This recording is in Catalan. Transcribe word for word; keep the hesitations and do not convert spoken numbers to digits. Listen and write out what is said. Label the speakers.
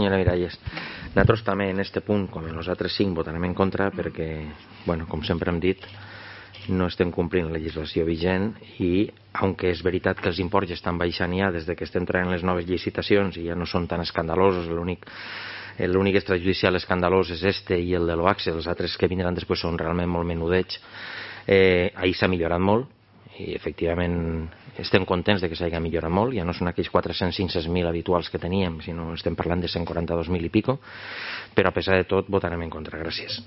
Speaker 1: Senyora Miralles, nosaltres també en aquest punt, com en els altres cinc, votarem en contra perquè, bueno, com sempre hem dit, no estem complint la legislació vigent i, aunque és veritat que els imports estan baixant ja des que estem traient les noves licitacions i ja no són tan escandalosos, l'únic l'únic extrajudicial escandalós és este i el de l'Oaxe, els altres que vindran després són realment molt menudets. Eh, ahir s'ha millorat molt i efectivament estem contents de que s'hagi millorat molt, ja no són aquells quatre-cents a cinc-cents mil habituals que teníem, sinó estem parlant de cent quaranta-dos mil i pico, però a pesar de tot votarem en contra. Gràcies.